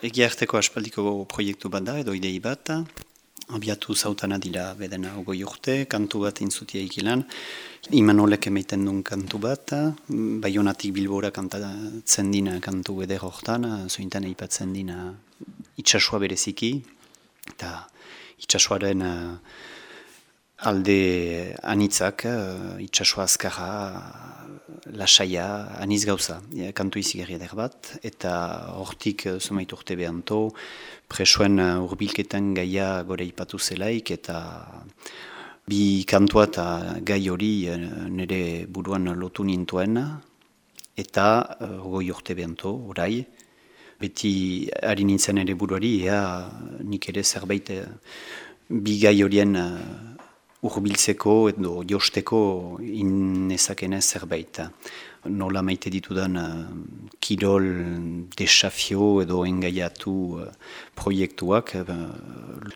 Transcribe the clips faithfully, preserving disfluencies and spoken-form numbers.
egia arteko aspaldiko proiektu bat da, edo idei bat, abiatu zautana dira bedena ogoi urte, kantu bat intzutia ikilan, Imanolek emaiten duen kantu bat, Baionatik Bilbora kantatzen dina kantu eder hortan, zointan eipatzen dina itxasua bereziki, eta itxasuaren uh, alde anitzak, uh, itxasua azkarra, lasaia, aniz gauza, ja, kantu izigarri eder bat, eta hortik uh, zumait urte behanto, presoen uh, urbilketan gaia gore ipatu zelaik, eta bi kantua eta gai hori uh, nire buruan lotu nintuen, eta uh, goi urte behanto, orai, beti ari nintzen ere buruari, ea nik ere zerbait uh, bi gai horien uh, urbiltzeko edo josteko inezakenez zerbait. Nola maite ditudan uh, kirol desafio edo engaiatu uh, proiektuak uh,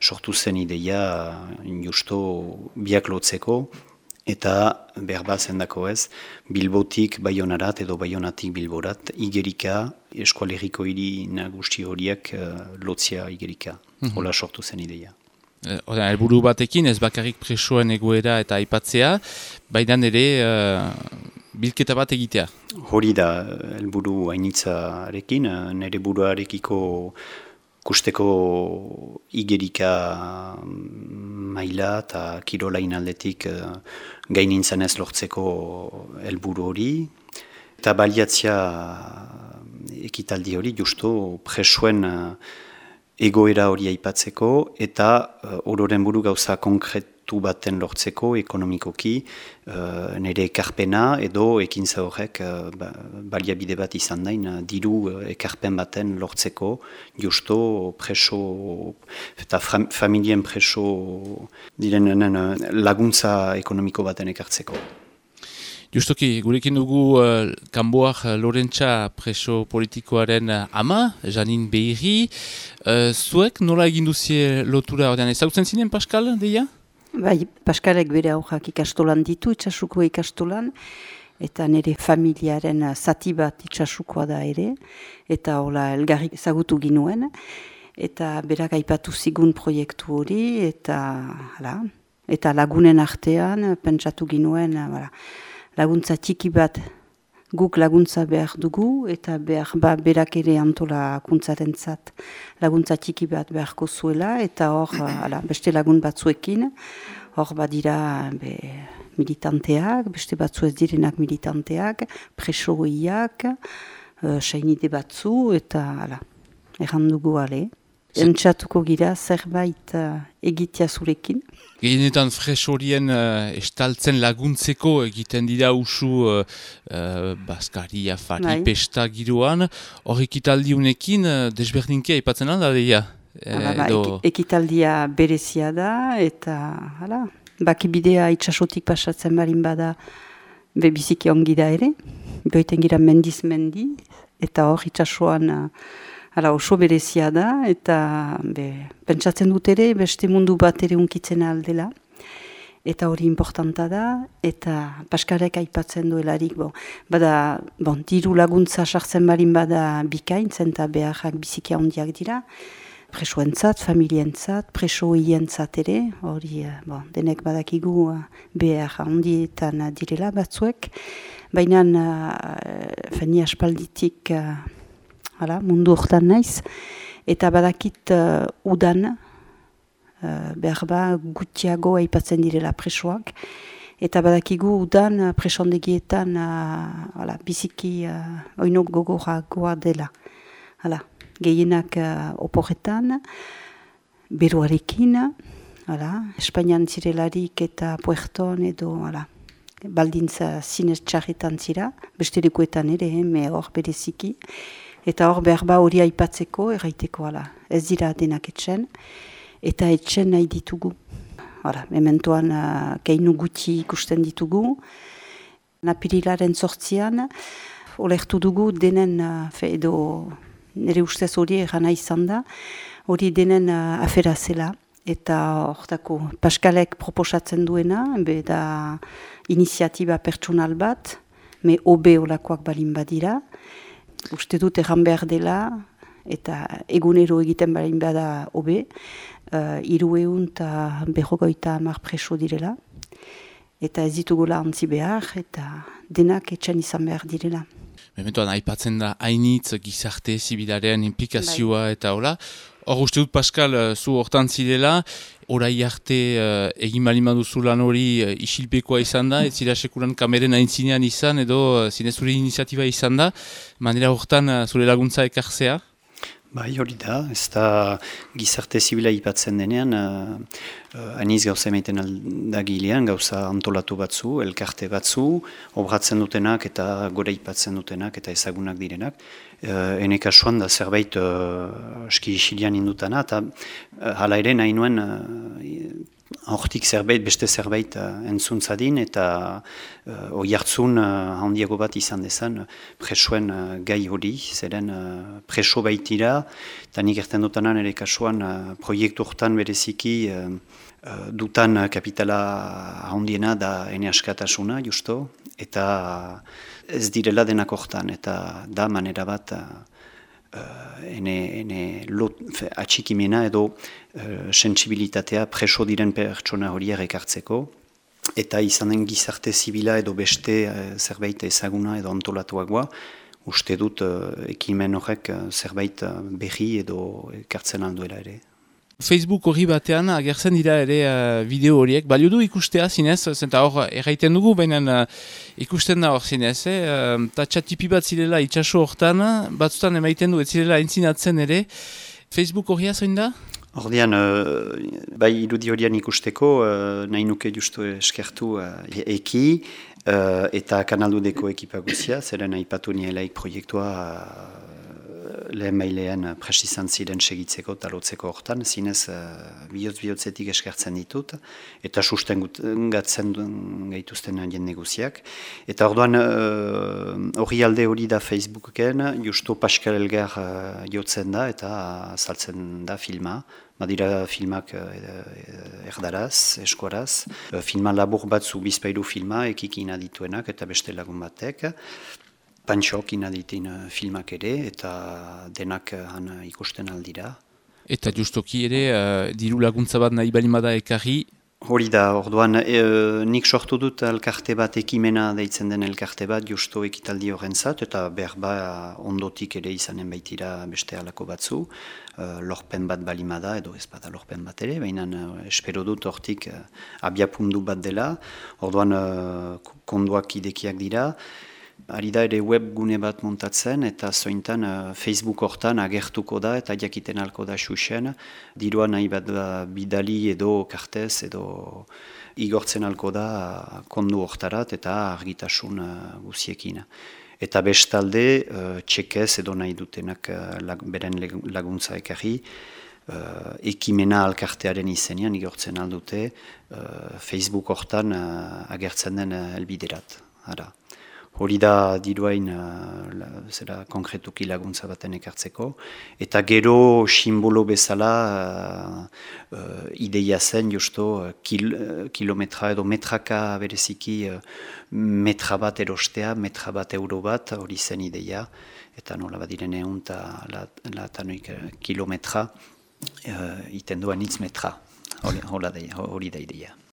sortu zen ideia uh, justo biak lotzeko eta behar zendako ez Bilbotik Baionarat edo Baionatik Bilborat igerika eskualeriko hiri nagusi horiek uh, lotzia igerika. Mm-hmm. Hola sortu zen ideia. Oda, helburu batekin ez bakarrik presoen egoera eta aipatzea, baina ere uh, bilketa bat egitea. Hori da helburu hainitzarekin, nire buruarekiko kusteko igerika maila eta kirolain aldetik uh, gainintzen ez lortzeko helburu hori. Eta baliatzia ekitaldi hori justo presoen uh, egoera hori aipatzeko eta uh, ororen buru gauza konkretu baten lortzeko ekonomikoki uh, nire ekarpena edo ekintza horrek uh, ba, baliabide bat izan dain uh, diru uh, ekarpen baten lortzeko justo preso eta fam, familien preso direnen uh, laguntza ekonomiko baten ekartzeko. Justoki, gurekin dugu uh, Kanboak Lorentza preso politikoaren uh, ama, Janin Behiri. Uh, zuek nola egin duzie lotura ordean? Ezagutzen zinen, Pascal, deia? Bai, Pascalek bere aurrak ikastolan ditu, itxasuko ikastolan, eta nire familiaren zati bat itxasukoa da ere, eta hola elgarrik ezagutu ginuen, eta berak aipatu zigun proiektu hori, eta, hala, eta lagunen artean pentsatu ginuen, hala, laguntza txiki bat guk laguntza behar dugu eta behar ba berak ere antolakuntzarentzat laguntza txiki bat beharko zuela eta hor ala, beste lagun batzuekin hor badira be, militanteak, beste batzu ez direnak militanteak, presoiak, uh, sainide batzu eta ala, erran dugu ale. Entzatuko gira zerbait uh, egitea zurekin. Gehienetan fresorien uh, estaltzen laguntzeko egiten dira usu uh, uh, Baskari, Afari, bai. Pesta giroan. Hor ekitaldiunekin uh, desberdinkia aipatzen alda deia? Hala, ba, edo... Ekitaldia berezia da eta hala, bakibidea itxasotik pasatzen barin bada bebiziki ongi da ere. Behoiten gira mendiz mendi eta hor itxasoan... Uh, Hala, oso berezia da, eta be, pentsatzen dut ere, beste mundu bat ere unkitzen aldela. Eta hori importanta da, eta Paskalek aipatzen duelarik, bo, bada, bon, diru laguntza sartzen barin bada bikaintzen, eta beharrak biziki handiak dira. Presoentzat, familientzat, presoientzat ere, hori, bon, denek badakigu behar handietan direla batzuek. Baina, uh, feni aspalditik... Uh, Hala, mundu hortan naiz, eta badakit uh, udan, uh, behar ba gutiago aipatzen direla presoak, eta badakigu udan uh, presondegietan uh, hala, biziki uh, oinok gogoragoa dela. Hala, gehienak uh, oporretan, beruarekin, hala, Espainian zirelarik eta Puerton edo hala, baldintza zinez txarretan zira, beste lekuetan ere, me hor bereziki, eta hor behar ba hori aipatzeko, erraiteko, ala, ez dira denak etxen, eta etxen nahi ditugu. Hala, mementoan uh, keinu guti ikusten ditugu, napirilaren sortzian, olertu dugu denen, uh, fe, edo nire ustez hori erana izan da, hori denen uh, afera zela, eta hortako Paskalek proposatzen duena, be da iniziatiba pertsonal bat, me obe olakoak balin badira, uste dut erran behar dela, eta egunero egiten barin bada hobe, uh, irueun eta berrogoita hamar preso direla, eta ez ditugula ontzi behar, eta denak etxan izan behar direla. Mementoan, aipatzen da hainitz gizarte zibilaren implikazioa bai. Eta hola. Hor uste dut, Pascal, zu hortan zirela, orai arte uh, egin balima duzu lan hori uh, isilpekoa izan da, ez zira sekuran kameren aintzinean izan, edo uh, zinez zure iniziatiba izan da, manera hortan uh, zure laguntza ekartzea? Bai, hori da, ez da gizarte zibila ipatzen denean, uh, uh, aniz gauza emaiten aldagilean, gauza antolatu batzu, elkarte batzu, obratzen dutenak eta gora ipatzen dutenak eta ezagunak direnak. Uh, ene kasuan da zerbait uh, aski isilian indutana, eta uh, hala ere nahi nuen uh, hortik zerbait, beste zerbait uh, entzuntzadin, eta uh, oi hartzun uh, handiago bat izan dezan uh, presoen uh, gai hori, zeren uh, preso baitira, eta nik erten dutanan ere kasuan uh, proiektu hortan bereziki uh, uh, dutan uh, kapitala handiena da ene askatasuna, justo, eta uh, ez direla denak hortan, eta da manera bat uh, Uh, ene, ene lot, fe, atxikimena edo uh, sentsibilitatea preso diren pertsona horiek ekartzeko, eta izanen gizarte zibila edo beste uh, zerbait ezaguna edo antolatuagoa, uste dut uh, ekimen horrek uh, zerbait uh, berri edo ekartzen alduela ere. Facebook hori batean agertzen dira ere uh, bideo horiek, balio du ikustea zinez, zenta hor erraiten dugu, baina uh, ikusten da hor zinez, eh? uh, tatxatipi bat zirela itxaso hortan, batzutan emaiten du ez zirela entzinatzen ere, Facebook hori azoin da? Ordean, uh, bai irudi horian ikusteko, uh, nahi nuke justu eskertu uh, eki, uh, eta kanaldudeko ekipa guzia, zeren aipatu nielaik proiektua uh, lehen mailean prest izan ziren segitzeko eta lotzeko hortan, zinez uh, bihotz-bihotzetik eskertzen ditut, eta sustengatzen gaituzten jende guziak. Eta orduan hori uh, alde hori da Facebooken, justu Pascal Elgar uh, jotzen da eta azaltzen da filma. Badira filmak uh, erdaraz, eskuaraz, uh, filma labur batzu bizpairu filma, ekik inadituenak eta beste lagun batek. Pantxok inaditin filmak ere, eta denak han ikusten aldira. Eta justoki ere, uh, diru laguntza bat nahi balimada ekarri? Hori da, orduan, e, nik sortu dut elkarte bat, ekimena deitzen den elkarte bat, justo ekitaldi horrentzat, eta berba ondotik ere izanen baitira beste halako batzu, uh, lorpen bat balimada, edo ez bada lorpen bat ere, baina uh, espero dut hortik uh, abiapundu bat dela, orduan uh, konduak idekiak dira. Ari da ere web gune bat montatzen eta zointan uh, Facebook hortan agertuko da eta jakiten alko da xuxen. Dirua nahi bat bidali edo kartez edo igortzen alko da uh, kondu hortarat eta argitasun uh, guziekin. Eta bestalde uh, txekez edo nahi dutenak uh, lag, beren laguntza ekarri, uh, ekimena alkartearen izenean igortzen aldute uh, Facebook hortan uh, agertzen den uh, elbiderat. Ara. Hori da diruain uh, zera konkretuki laguntza baten ekartzeko. Eta gero simbolo bezala uh, uh, ideia zen justo uh, kil, uh, kilometra edo metraka bereziki uh, metra bat erostea, metra bat euro bat, hori zen ideia. Eta nola badiren egun eta latanoik uh, kilometra uh, iten duan itz metra. Hori da ideia.